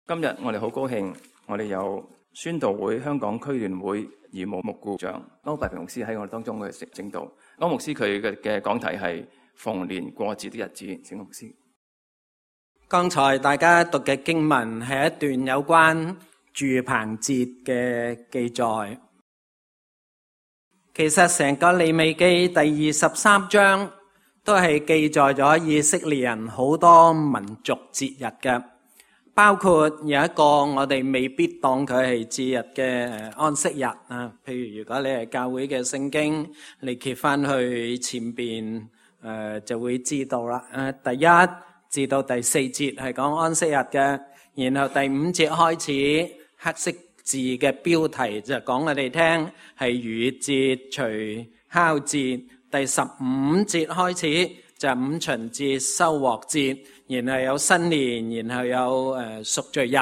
今日我哋好高興，我哋有宣道會香港區聯會義務牧顧長歐伯平牧師喺我哋當中嘅證道。歐牧師佢嘅講題係逢年過節的日子。請牧師。剛才大家讀嘅經文係一段有關住棚節嘅記載。其實成個利未記第23章都係記載咗以色列人好多民族節日嘅，包括有一個我哋未必當佢係節日嘅安息日啊。譬如如果你係教會嘅聖經，你揭翻去前邊就會知道啦。第1至到第4節係講安息日嘅，然後第5節開始黑色字嘅標題就講我哋聽係逾越節、除酵節。第15節開始就五旬節、收穫節，然後有新年，然後有贖罪日。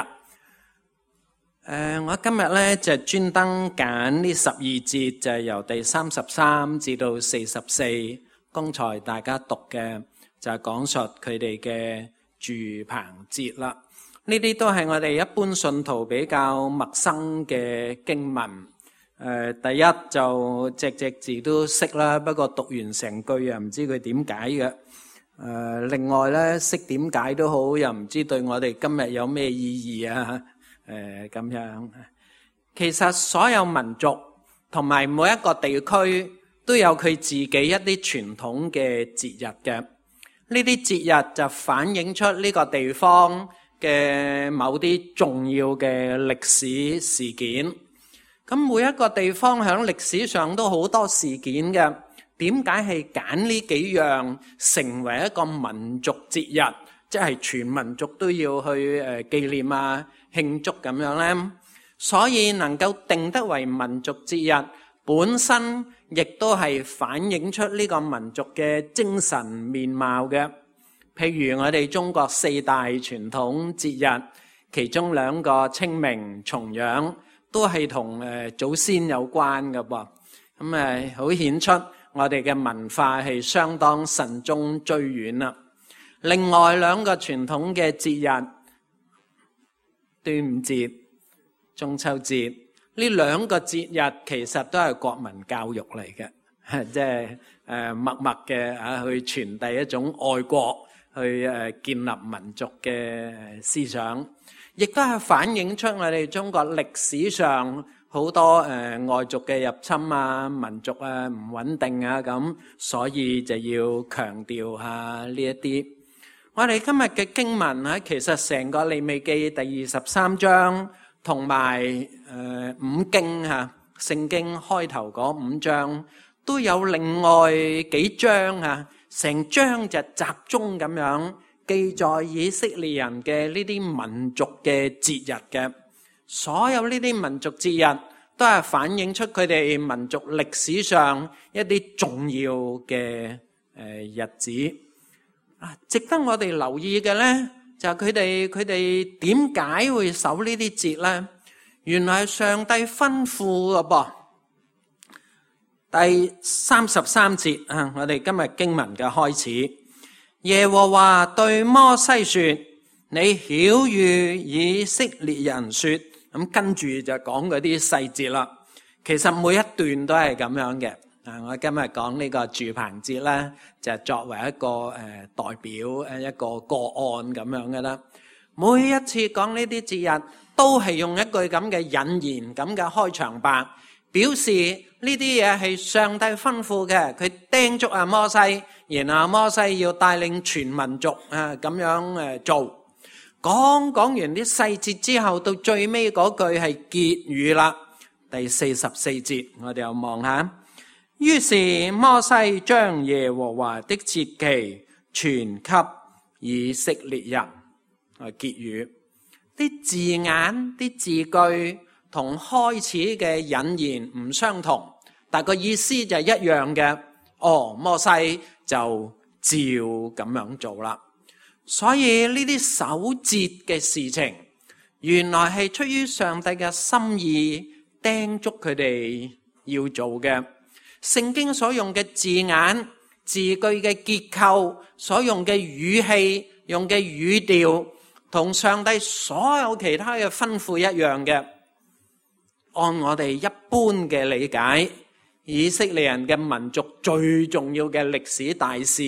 我今日咧就專登揀呢12節，就係由第33至到44，剛才大家讀嘅就係講述佢哋嘅住棚節啦。呢啲都係我哋一般信徒比較陌生嘅經文。第一就隻字都識啦，不過讀完成句又唔知佢點解嘅。另外咧識點解都好，又唔知對我哋今日有咩意義啊？咁樣。其實所有民族同埋每一個地區都有佢自己一啲傳統嘅節日嘅。呢啲節日就反映出呢個地方嘅某啲重要嘅歷史事件。咁每一個地方喺歷史上都好多事件嘅，點解係揀呢幾樣成為一個民族節日，即係全民族都要去紀念啊、慶祝咁樣呢？所以能夠定得為民族節日，本身亦都係反映出呢個民族嘅精神面貌嘅。譬如我哋中國4大傳統節日，其中2個清明、重陽，都係同祖先有關嘅噃。咁好顯出我哋嘅文化係相當慎終追遠啦。另外2個傳統嘅節日，端午節、中秋節，呢2個節日其實都係國民教育嚟嘅，即係默默嘅去傳遞一種愛國，去建立民族嘅思想。亦都係反映出我哋中國歷史上好多外族嘅入侵啊、民族啊唔穩定啊咁，所以就要強調下呢一啲。我哋今日嘅經文咧，其實成個利未記第23章同埋5經嚇聖經開頭嗰5章都有另外幾章嚇，成章就集中咁樣記載以色列人嘅呢啲民族嘅節日嘅。所有呢啲民族節日都係反映出佢哋民族歷史上一啲重要嘅日子。值得我哋留意嘅呢，就係佢哋點解會守呢啲節呢？原來係上帝吩咐嘅噃。第33節我哋今日經文嘅開始。耶和華對摩西說：你曉諭以色列人說，咁跟住就講嗰啲細節啦。其實每一段都係咁樣嘅。我今日講呢個住棚節咧，就作為一個代表一個個案咁樣嘅啦。每一次講呢啲節日，都係用一句咁嘅引言咁嘅開場白，表示呢啲嘢係上帝吩咐嘅，佢叮囑阿摩西，然後阿摩西要帶領全民族咁樣做。講完啲細節之後，到最尾嗰句係結語啦。第44節，我哋又望下。於是摩西將耶和華的節期傳給以色列人。結語，啲字眼、啲字句同開始嘅引言唔相同，但個意思就係一樣嘅。摩西就照咁樣做啦。所以呢啲守節嘅事情，原來係出於上帝嘅心意，叮囑佢哋要做嘅。聖經所用嘅字眼、字句嘅結構、所用嘅語氣、用嘅語調，同上帝所有其他嘅吩咐一樣嘅。按我哋一般嘅理解，以色列人嘅民族最重要嘅歷史大事，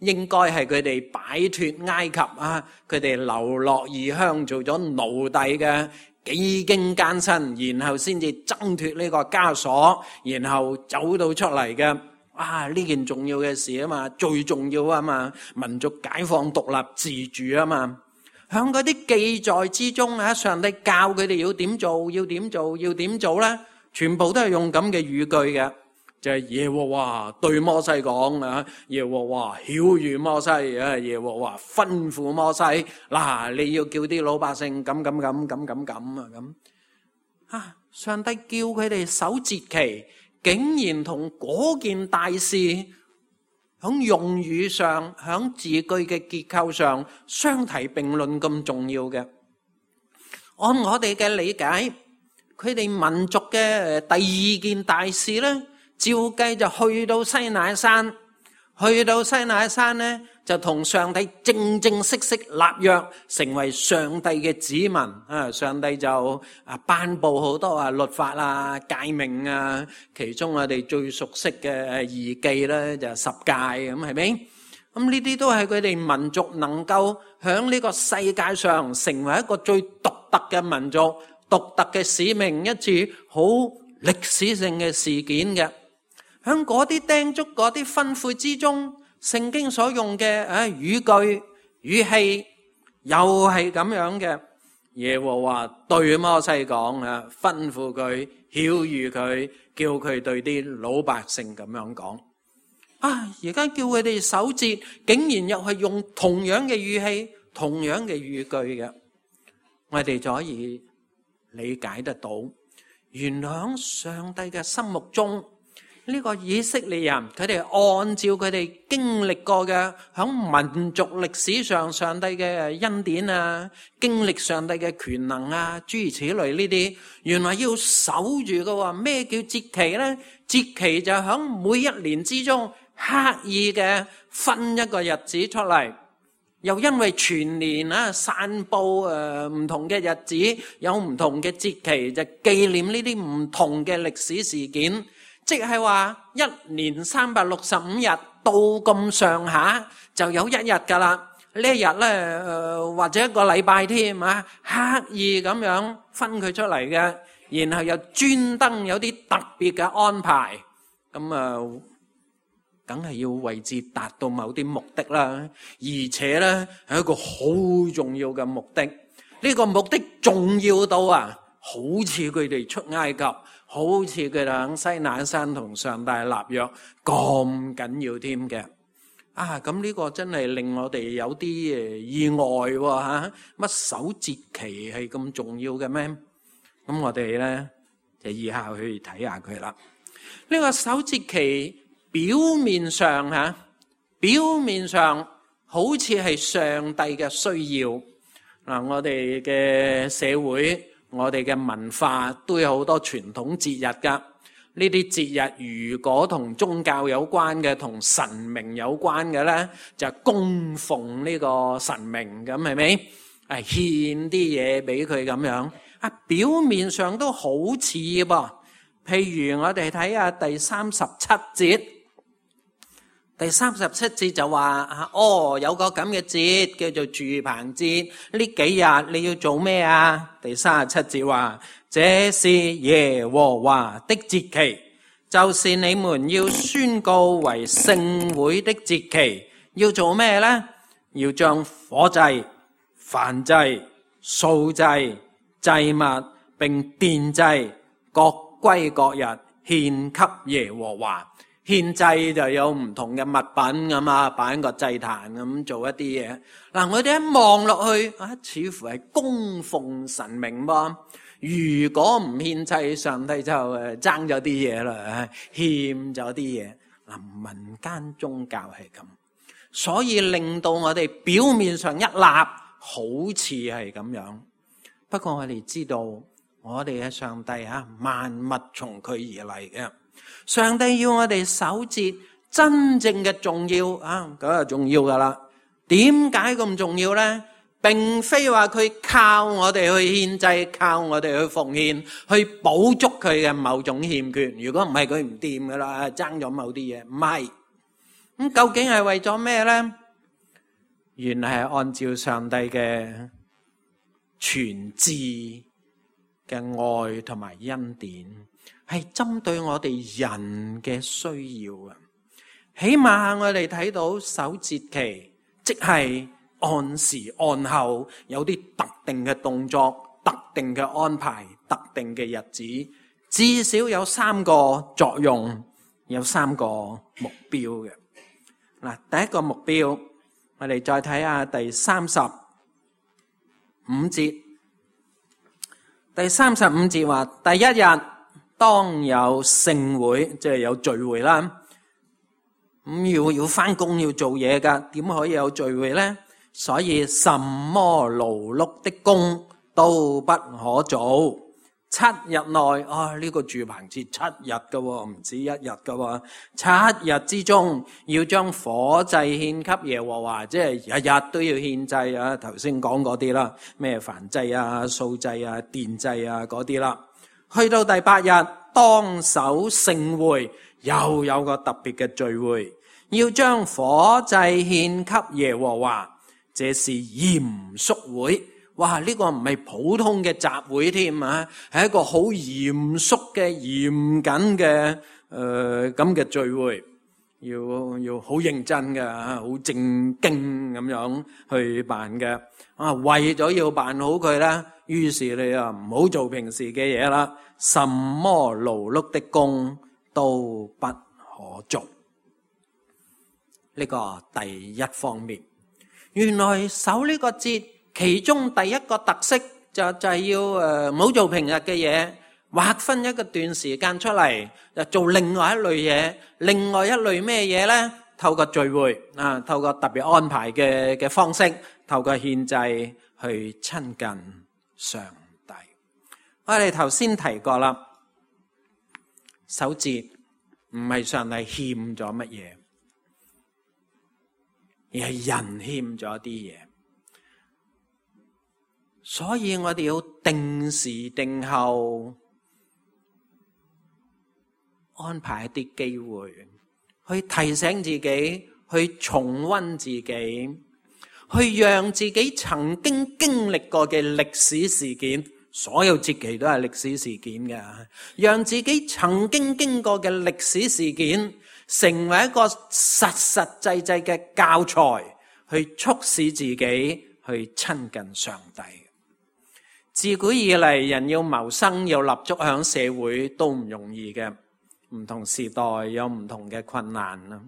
應該係佢哋擺脫埃及啊，佢哋流落異鄉做咗奴隸嘅，幾經艱辛，然後先至掙脫呢個枷鎖，然後走到出嚟嘅。呢件重要嘅事啊嘛，最重要啊嘛，民族解放獨立自主啊嘛。響嗰啲記載之中啊，上帝教佢哋要點做，要點做，要點做咧，全部都係用咁嘅語句嘅，就係耶和華對摩西講啊，耶和華曉諭摩西啊，耶和華吩咐摩西，嗱，你要叫啲老百姓咁啊，上帝叫佢哋守節期，竟然同嗰件大事響用語上，響字句嘅結構上相提並論咁重要嘅。按我哋嘅理解，佢哋民族嘅第二件大事咧，照計就去到西乃山，咧就同上帝正式立約，成為上帝嘅子民啊！上帝就頒布好多律法啊、誡命啊，其中我哋最熟悉嘅義記咧就十誡咁，係咪？咁呢啲都係佢哋民族能夠響呢個世界上成為一個最獨特嘅民族、獨特嘅使命，一次好歷史性嘅事件嘅。響嗰啲叮囑、嗰啲吩咐之中，聖經所用嘅語句、語氣又係咁樣嘅。耶和華對摩西講啊，吩咐佢、曉諭佢，叫佢對啲老百姓咁樣講。而家叫佢哋守節，竟然又係用同樣嘅語氣、同樣嘅語句嘅，我哋就可以理解得到，原來喺上帝嘅心目中，呢個以色列人，佢哋按照佢哋經歷過嘅響民族歷史上上帝嘅恩典啊，經歷上帝嘅權能啊，諸如此類呢啲，原來要守住嘅喎。咩叫節期呢？節期就響每一年之中刻意嘅分一個日子出嚟，又因為全年散布唔同嘅日子，有唔同嘅節期，就紀念呢啲唔同嘅歷史事件。即係話一年365日到咁上下就有一日噶啦，呢一日咧或者一個禮拜添啊，刻意咁樣分佢出嚟嘅，然後又專登有啲特別嘅安排，咁梗係要為之達到某啲目的啦，而且咧係一個好重要嘅目的，呢個目的重要到好似佢哋出埃及，好似佢哋喺西乃山同上帝立約咁緊要添嘅。咁呢個真係令我哋有啲意外喎，乜守節期係咁重要嘅咩？咁我哋咧就以下去睇下佢啦。呢個守節期表面上好似係上帝嘅需要。我哋嘅社會，我哋嘅文化都有好多傳統節日㗎。呢啲節日如果同宗教有關嘅，同神明有關嘅咧，就供奉呢個神明，咁係咪？獻啲嘢俾佢咁樣。表面上都好似噃。譬如我哋睇下第37節。第37節就話有個咁嘅節叫做住棚節，呢幾日你要做咩啊？第37節話，這是耶和華的節期，就是你們要宣告為聖會的節期。要做咩呢？要將火祭、燔祭、素祭、祭物並奠祭各歸各日，獻給耶和華。獻祭就有唔同嘅物品咁擺喺個祭壇咁做一啲嘢。我哋一望落去似乎係供奉神明噃。如果唔獻祭，上帝就爭咗啲嘢啦，欠咗啲嘢。民間宗教係咁，所以令到我哋表面上一立好似係咁樣。不過我哋知道，我哋嘅上帝萬物從佢而嚟嘅。上帝要我哋守節，真正嘅重要咁就重要噶啦。點解咁重要呢？並非話佢靠我哋去獻祭，靠我哋去奉獻，去補足佢嘅某種欠缺。如果唔係佢唔掂噶啦，爭咗某啲嘢，唔係。咁究竟係為咗咩呢？原來係按照上帝嘅全知嘅愛同埋恩典，係針對我哋人嘅需要啊！起碼我哋睇到守節期，即係按時按後，有啲特定嘅動作、特定嘅安排、特定嘅日子，至少有3個作用，有3個目標嘅。嗱，第一個目標，我哋再睇下第35節。第35節話，第一日當有聖會，即係有聚會啦。咁要返工要做嘢噶，點可以有聚會呢？所以什麼勞碌的工都不可做。7日內呢個住棚節7日噶，唔止1日噶。7日之中要將火祭獻給耶和華，即係日日都要獻祭啊。頭先講嗰啲啦，咩燔祭啊、素祭啊、奠祭啊嗰啲啦。去到第8日當守聖會，又有個特別嘅聚會，要將火祭獻給耶和華，這是嚴肅會。哇！呢個唔係普通嘅集會添啊，係一個好嚴肅嘅、嚴謹嘅咁嘅聚會，要好認真嘅，好正經咁樣去辦嘅。為咗要辦好佢啦，於是你啊唔好做平時嘅嘢啦，什麼勞碌的工都不可做。呢個第一方面，原來守呢個節。其中第一個特色就係要唔好做平日嘅嘢，劃分一個段時間出嚟，就做另外一類嘢。另外一類咩嘢呢？透過聚會啊，透過特別安排嘅方式，透過獻祭去親近上帝。我哋頭先提過啦，守節唔係上帝欠咗乜嘢，而係人欠咗啲嘢。所以我哋要定時定候安排一啲機會，去提醒自己，去重溫自己，去讓自己曾經經歷過嘅歷史事件，所有節期都係歷史事件嘅，讓自己曾經經過嘅歷史事件成為一個實實際際嘅教材，去促使自己去親近上帝。自古以嚟，人要謀生要立足響社會都唔容易嘅，唔同時代有唔同嘅困難啦。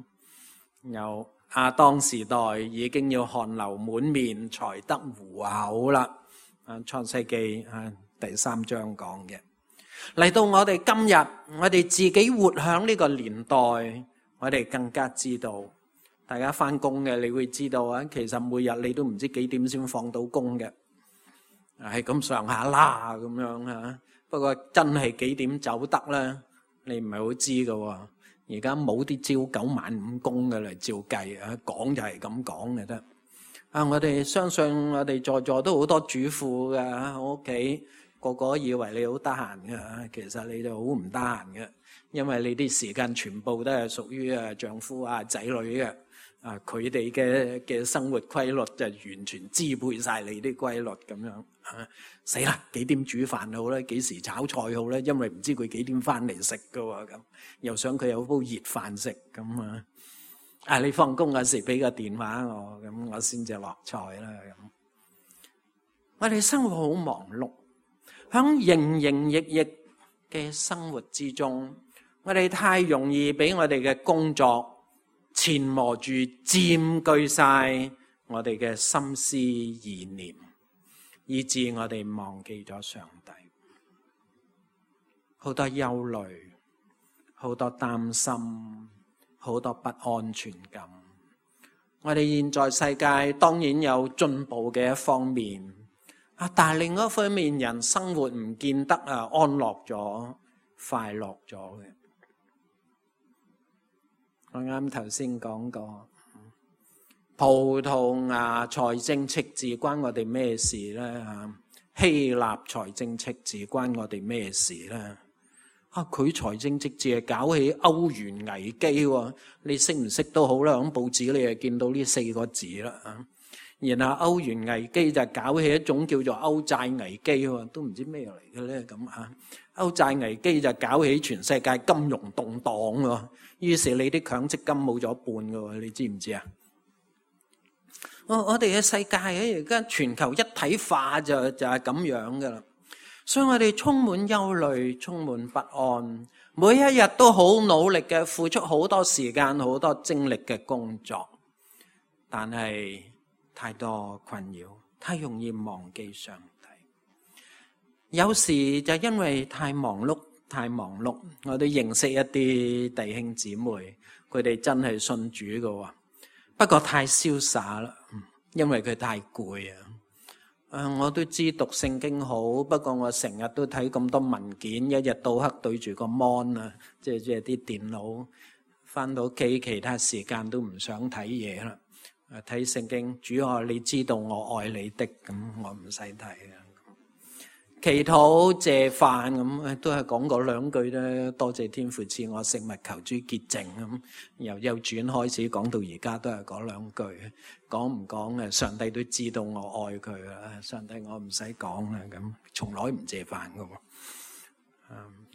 有亞當時代已經要汗流滿面才得糊口啦。創世記第3章講嘅。嚟到我哋今日，我哋自己活響呢個年代，我哋更加知道，大家返工嘅你會知道啊，其實每日你都唔知幾點先放到工嘅。係咁上下啦，咁樣吓。不過真係幾點走得咧，你唔係好知噶。而家冇啲朝9晚5工嘅嚟照計啊，講就係咁講嘅得。我哋相信我哋在座都好多主婦噶，我屋企個個以為你好得閒嘅，其實你就好唔得閒嘅，因為你啲時間全部都係屬於丈夫啊仔女嘅。佢哋嘅生活規律就完全支配晒你啲規律咁樣。死啦！幾點煮飯好咧？幾時炒菜好咧？因為唔知佢幾點翻嚟食噶喎，咁又想佢有煲熱飯食咁啊！你放工嗰時俾個電話我，咁我先至落菜啦咁。我哋生活好忙碌，響營營役役嘅生活之中，我哋太容易俾我哋嘅工作纏磨住，佔據晒我哋嘅心思意念，以致我哋忘記咗上帝。好多憂慮，好多擔心，好多不安全感。我哋現在世界當然有進步嘅一方面，但係另一方面，人生活唔見得安樂咗、快樂咗嘅。我啱頭先講過，葡萄牙財政赤字關我哋咩事呢？希臘財政赤字關我哋咩事呢？佢財政赤字係搞起歐元危機喎，你識唔識都好啦，喺報紙你就見到呢4個字啦。然後歐元危機就搞起一種叫做歐債危機喎，都唔知咩嚟嘅咧咁啊！歐債危機就搞起全世界金融動盪喎，於是你啲強積金冇咗一半嘅喎，你知唔知啊？我哋嘅世界而家全球一體化就係咁樣噶啦。所以我哋充滿憂慮，充滿不安，每一日都好努力嘅付出好多時間、好多精力嘅工作，但係太多困擾，太容易忘記上帝。有時就因為太忙碌，我哋認識一啲弟兄姊妹，佢哋真係信主嘅喎，不過太瀟灑啦，因為佢太攰啊。我都知讀聖經好，不過我成日都睇咁多文件，一日到黑對住個 mon 啊，即係啲電腦，返到屋企其他時間都唔想睇嘢啦。睇聖經，主啊，你知道我愛你的，咁我唔使睇啊。祈禱謝飯咁都係講嗰兩句咧，多謝天父賜我食物，求主潔淨咁。由幼稚園開始講到而家都係嗰兩句，講唔講上帝都知道我愛佢啦。上帝我唔使講啦，咁從來唔謝飯噶。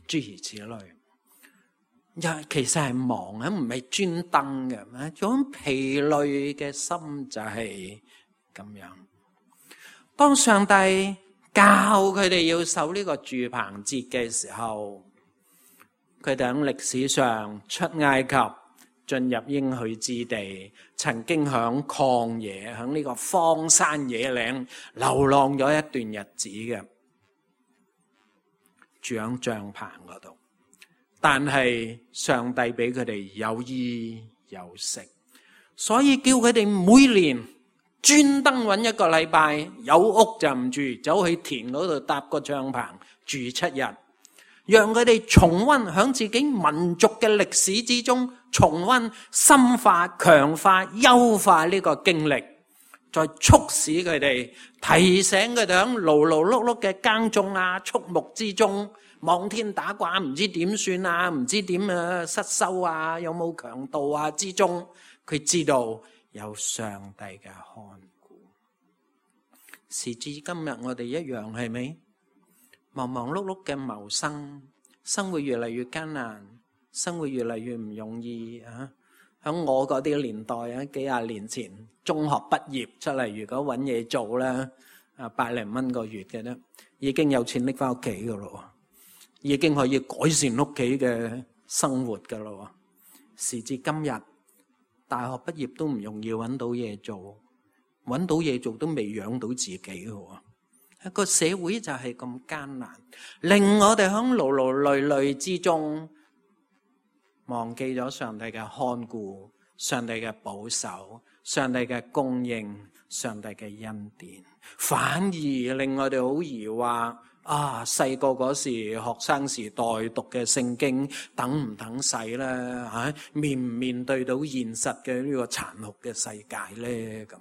諸如此類，其實係忙啊，唔係專登嘅。種疲累嘅心就係咁樣。當上帝教佢哋要守呢個住棚節嘅時候，佢哋喺歷史上出埃及，進入應許之地，曾經響曠野，響呢個荒山野嶺流浪咗一段日子嘅，住喺帳棚嗰度。但係上帝俾佢哋有衣有食，所以叫佢哋每年專登揾一個禮拜，有屋就唔住，走去田嗰度搭個帳篷住7日，讓佢哋重溫響自己民族嘅歷史之中，重溫、深化、強化、優化呢個經歷，再促使佢哋，提醒佢哋響勞勞碌碌嘅耕種啊、畜牧之中，望天打卦唔知點算啊，唔知點失收啊，有冇強盜啊之中，佢知道有上帝嘅看顧。時至今日我哋一樣，係咪忙忙碌碌嘅謀生，生活越嚟越艱難，生活越嚟越唔容易啊！喺我嗰啲年代啊，幾廿年前中學畢業出嚟，如果揾嘢做咧，100零蚊個月嘅咧，已經有錢拎翻屋企噶咯，已經可以改善屋企嘅生活噶咯。時至今日，大學畢業都唔容易揾到嘢做，揾到嘢做都未養到自己嘅。一個社會就係咁艱難，令我哋喺勞勞累累之中忘記咗上帝嘅看顧、上帝嘅保守、上帝嘅供應、上帝嘅恩典，反而令我哋好疑惑。細個嗰時學生時代讀嘅聖經等唔等使咧？面唔面對到現實嘅呢個殘酷嘅世界咧？咁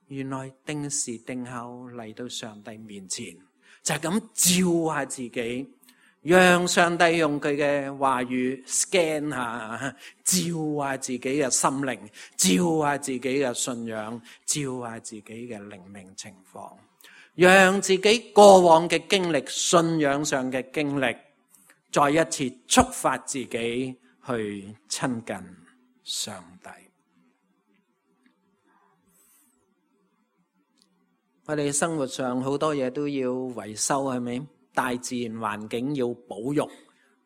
原來定時定候嚟到上帝面前，就係咁照下自己，讓上帝用佢嘅話語 scan 下，照下自己嘅心靈，照下自己嘅信仰，照下自己嘅靈命情況。讓自己過往嘅經歷、信仰上嘅經歷，再一次觸發自己去親近上帝。我哋生活上好多嘢都要維修，係咪？大自然環境要保育，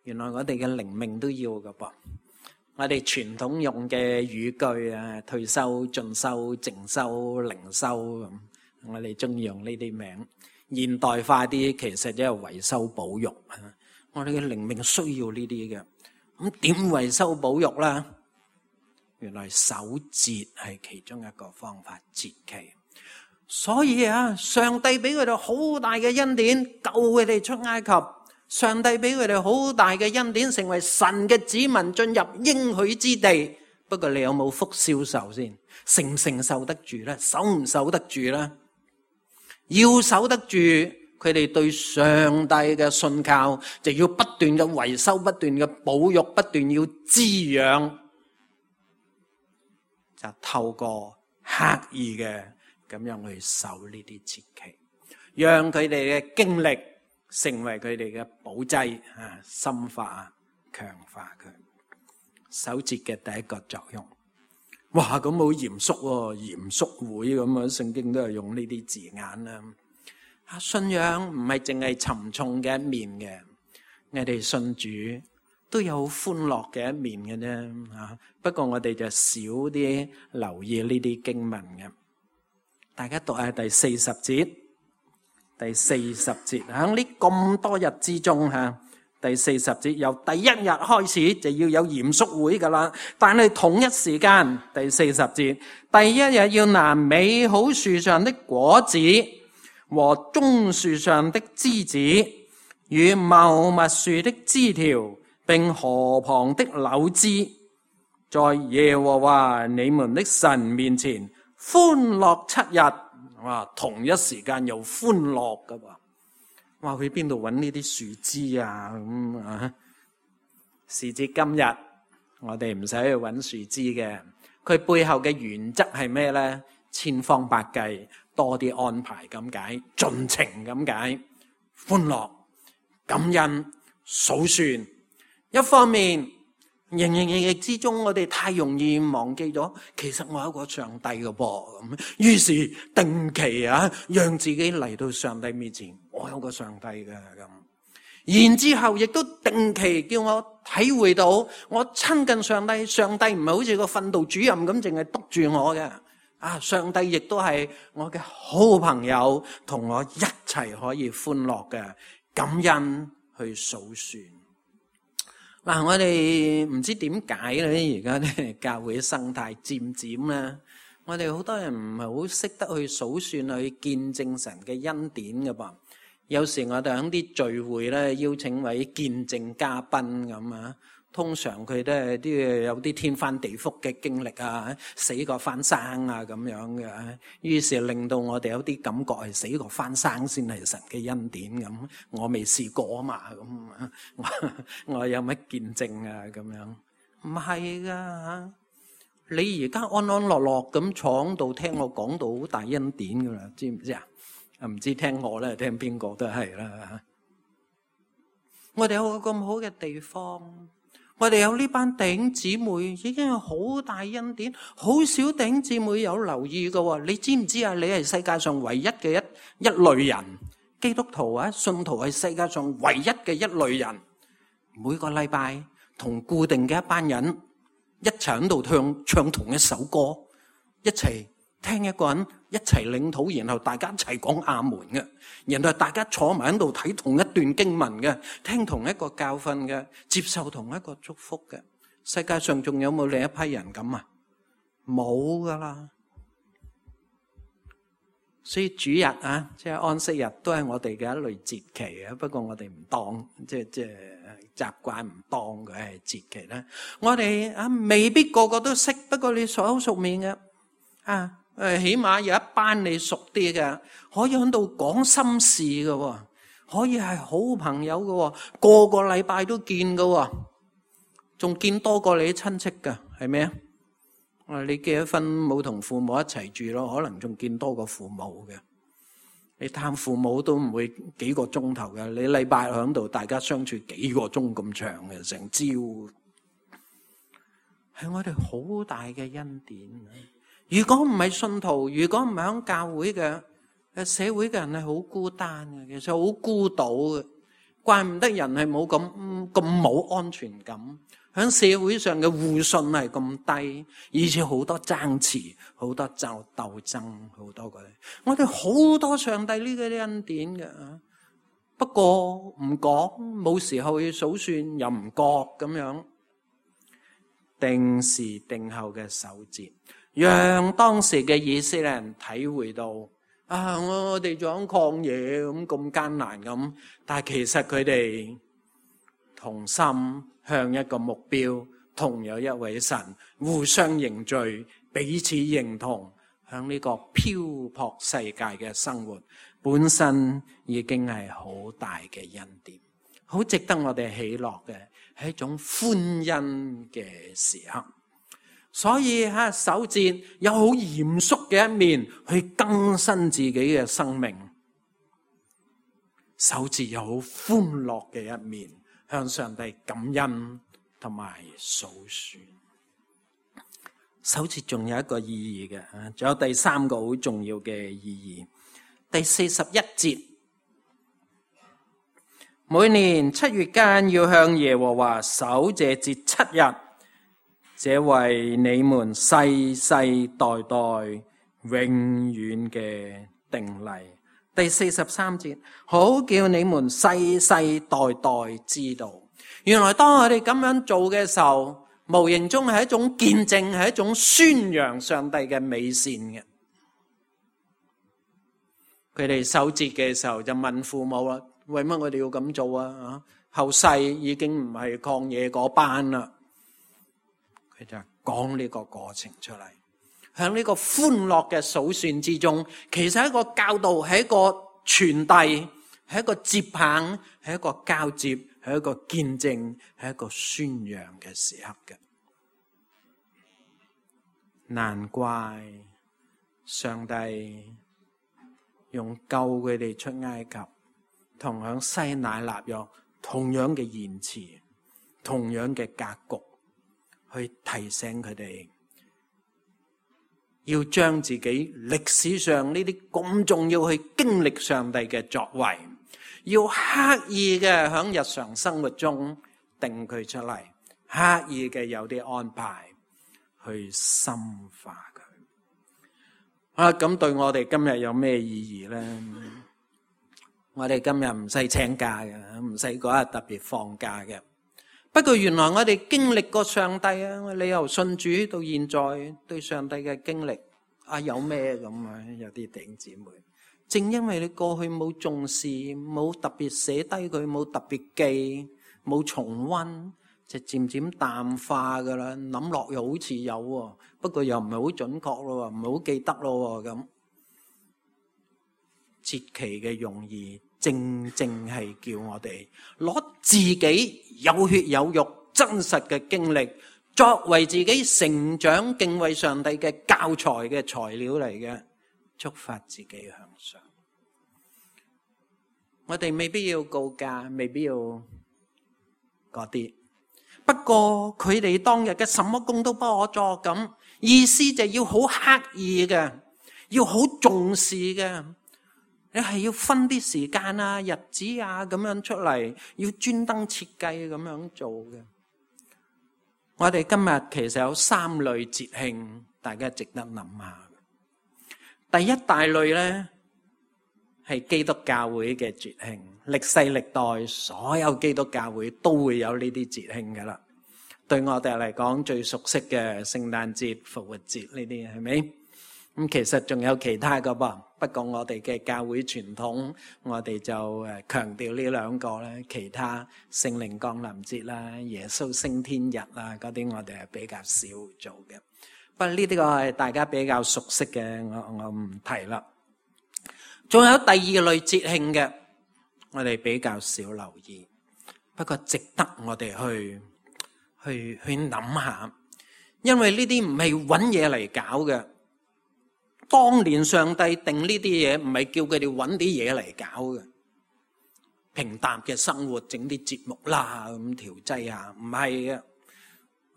原來我哋嘅靈命都要㗎噃。我哋傳統用嘅語句啊，退修、進修、靜修、靈修咁。我哋中意用呢啲名，現代化啲其實即係維修保育。我哋嘅靈命需要呢啲嘅，咁點維修保育啦？原來守節係其中一個方法，節期。所以上帝俾佢哋好大嘅恩典，救佢哋出埃及。上帝俾佢哋好大嘅恩典，成為神嘅子民，進入應許之地。不過你有冇福消受先？承唔承受得住咧？守唔守得住咧？要守得住，佢哋對上帝嘅信靠就要不斷嘅維修，不斷嘅保育，不斷要滋養，就透過刻意嘅咁樣去守呢啲節期，讓佢哋嘅經歷成為佢哋嘅保劑啊，深化強化佢。守節嘅第一個作用，哇咁好嚴肅喎，嚴肅會咁啊！聖經都係用呢啲字眼啦。信仰唔係淨係沉重嘅一面嘅，我哋信主都有歡樂嘅一面嘅啫。不過我哋就少啲留意呢啲經文嘅。大家讀下第40節，第40節喺呢咁多日之中吓。第40節由第一日開始就要有嚴肅會噶啦，但係同一時間第40節第一日要拿美好樹上的果子和棕樹上的枝子與茂密樹的枝條並河旁的柳枝，在耶和華你們的神面前歡樂7日。哇，同一時間又歡樂噶喎。話去邊度揾呢啲樹枝啊？咁啊，時至今日，我哋唔使去揾樹枝嘅。佢背後嘅原則係咩呢？千方百計，多啲安排咁解，盡情咁解，歡樂、感恩、數算。一方面，營營役役之中，我哋太容易忘記咗，其實我有個上帝嘅噃。咁於是定期啊，讓自己嚟到上帝面前。我有個上帝嘅咁，然之後亦都定期叫我體會到我親近上帝，上帝唔係好似個訓導主任咁，淨係督住我嘅。上帝亦都係我嘅好朋友，同我一齊可以歡樂嘅，感恩去數算。我哋唔知點解咧，而家咧教會生態漸漸咧，我哋好多人唔係好識得去數算，去見證神嘅恩典嘅噃。有時我哋喺啲聚會咧，邀請位見證嘉賓咁啊，通常佢都係啲有啲天翻地覆嘅經歷啊，死過翻生啊咁樣嘅，於是令到我哋有啲感覺係死過翻生先係神嘅恩典咁。我未試過啊嘛，咁我有乜見證啊咁樣？唔係噶，你而家安安樂樂咁坐喺度聽我講到好大恩典噶啦，知唔知啊？唔知聽我咧，聽邊個都係啦。我哋有個咁好嘅地方，我哋有呢班弟兄姊妹，已經有好大恩典。好少弟兄姊妹有留意㗎。你知唔知啊？你係世界上唯一嘅一類人，基督徒啊，信徒係世界上唯一嘅一類人。每個禮拜同固定嘅一班人一齊喺度唱同一首歌，一齊聽一個人一齊領禱，然後大家一齊講阿門嘅，然後大家坐埋喺度睇同一段經文嘅，聽同一個教訓嘅，接受同一個祝福嘅。世界上仲有冇另一批人咁啊？冇噶啦。所以主日啊，即係安息日都係我哋嘅一類節期啊。不過我哋唔當，即係習慣唔當佢係節期啦。我哋啊未必個個都識，不過你熟口熟面嘅啊。起碼有一班你熟啲嘅，可以喺度講心事嘅，可以係好朋友嘅，個個禮拜都見嘅，仲見多過你啲親戚嘅，係咩啊？你結咗婚冇同父母一齊住咯，可能仲見多過父母嘅。你探父母都唔會幾個鐘頭嘅，你禮拜喺度大家相處幾個鐘咁長嘅，成朝。係我哋好大嘅恩典。如果唔係信徒，如果唔係喺教會嘅社會嘅人係好孤單嘅，其實好孤島嘅，怪唔得人係冇咁冇安全感，喺社會上嘅互信係咁低，而且好多爭持，好多鬥爭，好多嘅。我哋好多上帝呢啲恩典嘅，不過唔講，冇時候去數算，又唔覺咁樣，定時定候嘅守節。讓當時嘅以色列人體會到我哋仲喺曠野咁艱難咁，但係其實佢哋同心向一個目標，同有一位神，互相認罪，彼此認同，響呢個漂泊世界嘅生活，本身已經係好大嘅恩典，好值得我哋喜樂嘅，係一種歡欣嘅時刻。所以守節有好嚴肅嘅一面去更新自己嘅生命，守節有好歡樂嘅一面向上帝感恩同埋數算。守節仲有一個意義嘅，仲有第三個好重要嘅意義。第41節，每年7月間要向耶和華守這節7日，這為你們世世代代永遠嘅定例。第43節，好叫你們世世代代知道，原來當我哋咁樣做嘅時候，無形中係一種見證，係一種宣揚上帝嘅美善嘅。佢哋守節嘅時候就問父母啦，為乜我哋要咁做啊？後世已經唔係曠野嗰班啦。佢就講呢個過程出嚟，喺呢個歡樂嘅數算之中，其實係一個教導，係一個傳遞，係一個接棒，係一個交接，係一個見證，係一個宣揚嘅時刻嘅。難怪上帝用救佢哋出埃及，同樣西乃立約同樣嘅言辭，同樣嘅格局，去提醒佢哋要將自己歷史上呢啲咁重要去經歷上帝嘅作為，要刻意嘅喺日常生活中定佢出嚟，刻意嘅有啲安排去深化佢。咁對我哋今日有咩意義呢？我哋今日唔使請假嘅，唔使嗰日特別放假嘅。不過原來我哋經歷過上帝啊，你由信主到現在對上帝嘅經歷有咩咁啊？有啲弟兄姊妹，正因為你過去冇重視，冇特別寫低佢，冇特別記，冇重溫，就漸漸淡化噶啦。諗落又好似有，不過又唔係好準確咯，唔係好記得咯咁。節期嘅用意，正正係叫我哋攞自己有血有肉真實嘅經歷，作為自己成長敬畏上帝嘅教材嘅材料嚟嘅，觸發自己向上。我哋未必要告假，未必要嗰啲，不過佢哋當日嘅什麼工都不可作咁，意思就要好刻意嘅，要好重視嘅。你係要分啲時間啊、日子啊咁樣出嚟，要專登設計咁樣做嘅。我哋今日其實有3類節慶，大家值得諗下。第一大類呢，係基督教會嘅節慶，歷世歷代所有基督教會都會有呢啲節慶噶啦。對我哋嚟講最熟悉嘅聖誕節、復活節呢啲係咪？咁其實仲有其他噶噃，不過我哋嘅教會傳統，我哋就強調呢兩個咧。其他聖靈降臨節啦、耶穌升天日啦嗰啲，我哋係比較少做嘅。不過呢啲個係大家比較熟悉嘅，我唔提啦。仲有第二類節慶嘅，我哋比較少留意，不過值得我哋去諗下，因為呢啲唔係揾嘢嚟搞嘅。當年上帝定呢啲嘢，唔係叫佢哋揾啲嘢嚟搞嘅，平淡嘅生活整啲節目啦，咁調劑下，唔係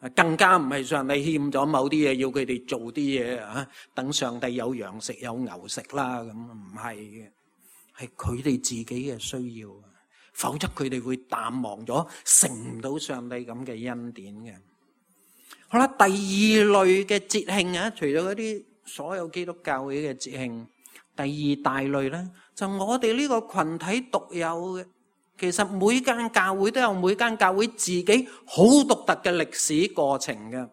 嘅，更加唔係上帝欠咗某啲嘢，要佢哋做啲嘢啊，等上帝有羊食有牛食啦，咁唔係嘅，係佢哋自己嘅需要，否則佢哋會淡忘咗，成唔到上帝咁嘅恩典嘅。好啦，第二類嘅節慶啊，除咗嗰啲所有基督教會嘅節慶，第二大類咧，就我哋呢個群體獨有嘅。其實每間教會都有每間教會自己好獨特嘅歷史過程嘅，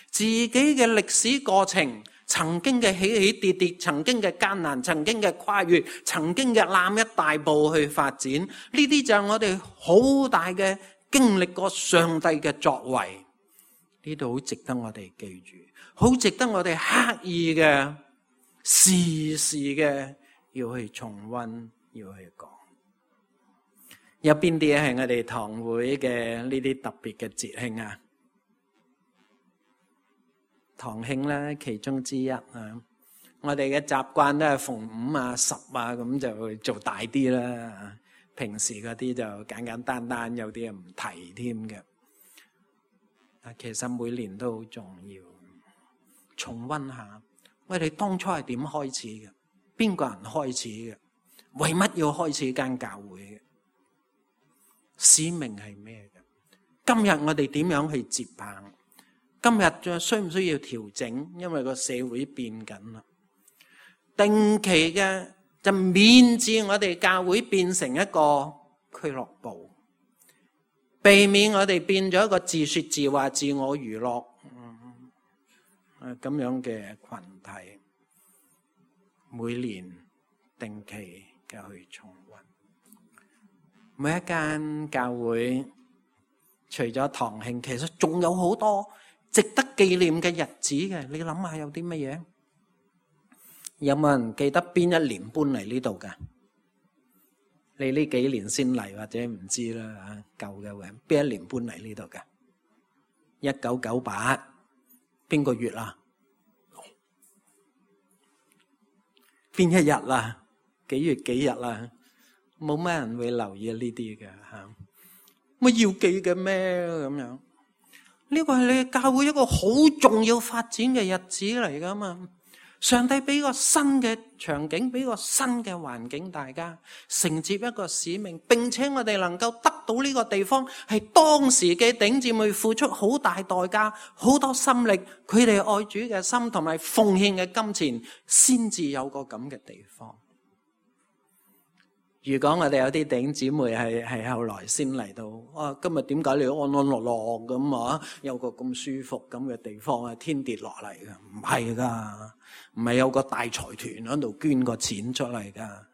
自己嘅歷史過程，曾經嘅起起跌跌，曾經嘅艱難，曾經嘅跨越，曾經嘅攬一大步去發展，呢啲就係我哋好大嘅經歷過上帝嘅作為。呢度好值得我哋記住，好值得我哋刻意嘅時時嘅要去重溫，要去講。有邊啲係我哋堂會嘅呢啲特別嘅節慶啊？堂慶咧，其中之一啊。我哋嘅習慣都係逢5啊、10啊咁就會做大啲啦。平時嗰啲就簡簡單單，有啲唔提添嘅。其實每年都好重要，重溫下我哋當初係點開始嘅，邊個人開始嘅，為乜要開始間教會嘅，使命係咩嘅？今日我哋點樣去接棒？今日仲需唔需要調整？因為個社會變緊啦。定期嘅就免治我哋教會變成一個俱樂部，避免我哋變咗一個自說自話、自我娛樂咁樣嘅群體。每年定期嘅去重溫，每一間教會除咗堂慶，其實仲有好多值得紀念嘅日子嘅。你諗下有啲乜嘢？有冇人記得邊一年搬嚟呢度噶？你呢幾年先嚟或者唔知啦嚇，舊嘅人邊一年搬嚟呢度噶？1998邊個月啊？邊一日啊？幾月幾日啊？冇乜人會留意呢啲嘅嚇。乜要記嘅咩咁樣？呢個係你教會一個好重要發展嘅日子嚟噶嘛？上帝俾個新嘅場景，俾個新嘅環境，大家承接一個使命，並且我哋能夠得到呢個地方，係當時嘅弟兄姊妹付出好大代價，好多心力，佢哋愛主嘅心同埋奉獻嘅金錢，先至有個咁嘅地方。如果我哋有啲弟兄姊妹係後來先嚟到，今日點解你安安樂樂咁啊？有個咁舒服咁嘅地方啊，天跌落嚟嘅？唔係噶，唔係有個大財團喺度捐個錢出嚟噶，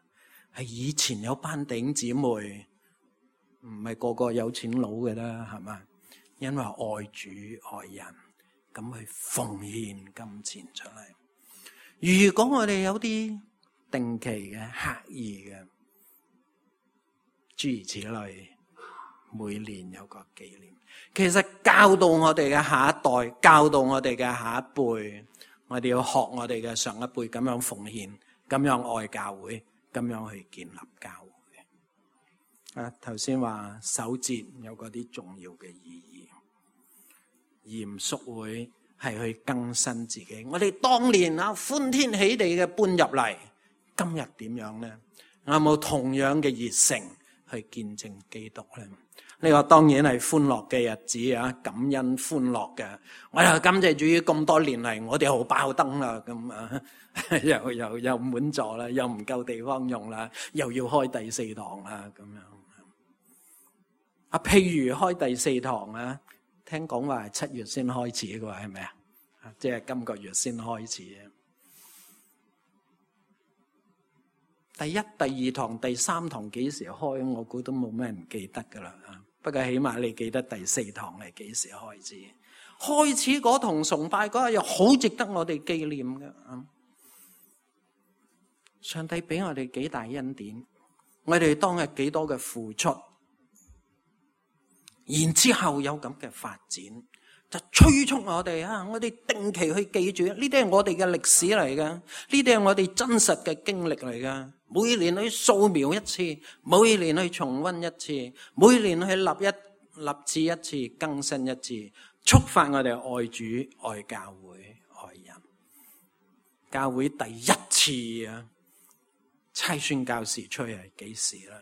係以前有班弟兄姊妹，唔係個個有錢佬嘅啦，係嘛？因為愛主愛人，咁去奉獻金錢出嚟。如果我哋有啲定期嘅刻意嘅，諸如此類，每年有個紀念，其實教導我哋嘅下一代，教導我哋嘅下一輩，我哋要學我哋嘅上一輩咁樣奉獻，咁樣愛教會，咁樣去建立教會。頭先話守節有嗰啲重要嘅意義，嚴肅會係去更新自己。我哋當年歡天喜地嘅搬入嚟，今日點樣呢？有冇同樣嘅熱誠去見證基督咧？呢個當然係歡樂嘅日子啊，感恩歡樂嘅。我又感謝主於咁多年嚟，我哋好爆燈啦，咁啊，又滿座啦，又唔夠地方用啦，又要開第4堂啦，咁樣。譬如開第4堂啊，聽講話係7月先開始嘅喎，係咪啊？即係今個月先開始啊。第1、第2堂、第3堂幾時開？我估都冇咩人記得噶啦。不過起碼你記得第4堂係幾時開始？開始嗰堂崇拜嗰日又好值得我哋紀念嘅。上帝俾我哋幾大恩典，我哋當日幾多嘅付出，然之後有咁嘅發展，就催促我哋我哋定期去記住，呢啲係我哋嘅歷史嚟噶，呢啲係我哋真實嘅經歷嚟噶。每年去掃描一次，每年去重溫一次，每年去立志一次，更新一次，觸發我哋愛主、愛教會、愛人。教會第一次差宣教士出去係幾時啦？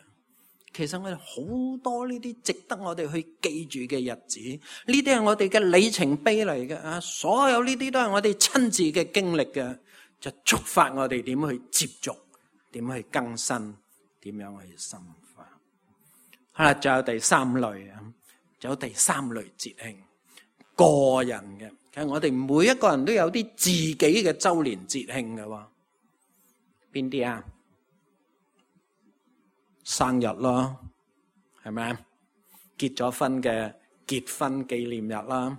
其實我哋好多呢啲值得我哋去記住嘅日子，呢啲係我哋嘅里程碑嚟嘅。所有呢啲都係我哋親自嘅經歷嘅，就觸發我哋點去接觸，點去更新，點樣去深化。好啦，仲有第3類啊，仲有第3類節慶，個人嘅。其實我哋每一個人都有啲自己嘅周年節慶嘅喎。邊啲啊？生日咯，係咪啊？結咗婚嘅結婚紀念日啦，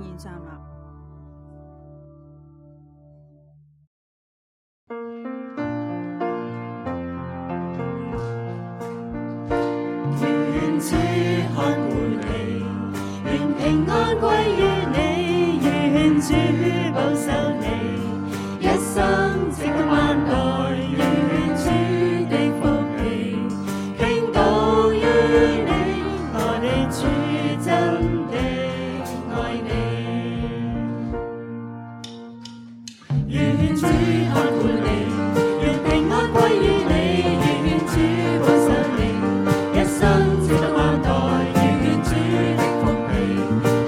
仍然站立。願主看顧你，願平安歸於你，願主保守你，一生直到萬代，願主的福氣傾倒於你，我哋主真的愛你。願主看顧你，願平安歸於你，願主保守你，一生直到萬代，願主的福氣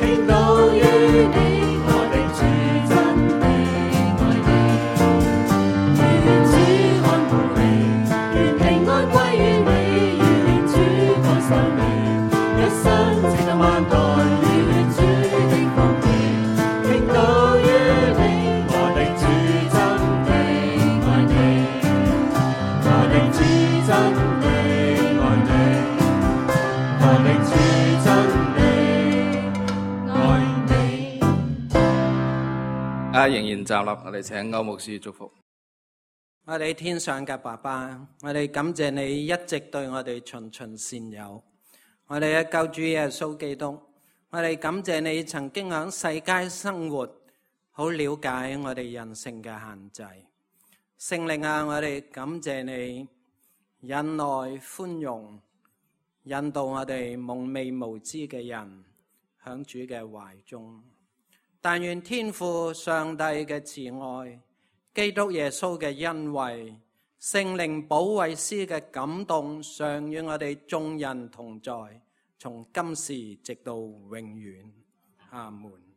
傾倒於你，我哋主真的愛你。願主看顧你，願平安歸於你，願主保守你，一生直到萬代，願主的福氣傾倒於你，我哋主真的愛你，我哋主真的愛你，我哋主真的愛你。仍然站立，我哋請歐牧師祝福。我哋天上嘅爸爸，我哋感謝你一直對我哋循循善誘。我哋嘅救主耶穌基督，我哋感謝你曾經喺世界生活，好了解我哋人性嘅限制。聖靈啊，我哋感謝你忍耐寬容，引導我哋蒙昧無知嘅人響主嘅懷中。但願天父上帝嘅慈愛，基督耶穌嘅恩惠，聖靈保惠師嘅感動，常與我哋眾人同在，從今時直到永遠。阿門。